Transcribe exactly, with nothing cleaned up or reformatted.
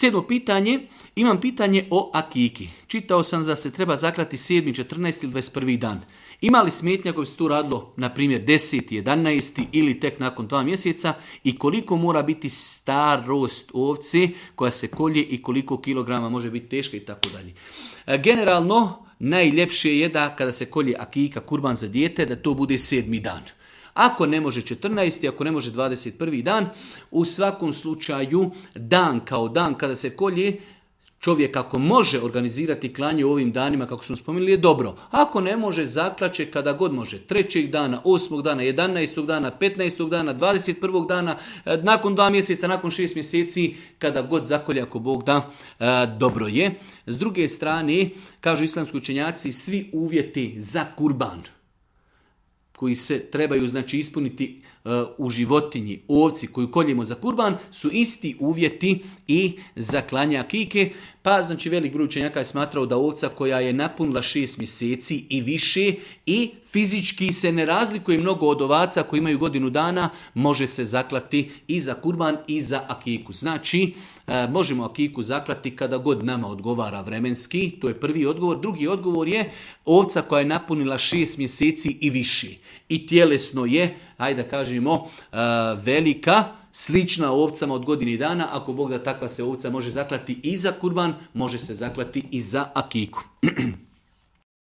Sedmo pitanje, imam pitanje o akiki. Čitao sam da se treba zaklati sedmi, četrnaesti ili dvadeset prvi dan. Ima li smetnja ako bi se tu radilo, na primjer, deseti, jedanaesti ili tek nakon dva mjeseca i koliko mora biti starost ovce koja se kolje i koliko kilograma može biti teška i tako dalje. Generalno, najljepše je da kada se kolje akika, kurban za dijete, da to bude sedmi dan. Ako ne može četrnaesti, ako ne može dvadeset prvi dan, u svakom slučaju dan kao dan kada se kolje, čovjek ako može organizirati klanje u ovim danima, kako smo spomenuli, je dobro. Ako ne može, zaklaće kada god može. Trećeg dana, osmog dana, jedanaestog dana, petnaestog dana, dvadeset prvog dana, nakon dva mjeseca, nakon šest mjeseci, kada god zakolje, ako Bog da, dobro je. S druge strane, kažu islamski učenjaci, svi uvjeti za kurban koji se trebaju znači ispuniti uh, u životinji, ovci koju koljemo za kurban, su isti uvjeti i za klanje akike. Pa znači velik broj učenjaka je smatrao da ovca koja je napunila šest mjeseci i više i fizički se ne razlikuje mnogo od ovaca koji imaju godinu dana, može se zaklati i za kurban i za akiku. Znači, e, možemo akiku zaklati kada god nama odgovara vremenski, to je prvi odgovor. Drugi odgovor je ovca koja je napunila šest mjeseci i više i tjelesno je, ajde da kažemo, e, velika, slična ovcama od godine dana, ako Bog da takva se ovca može zaklati i za kurban, može se zaklati i za akiku.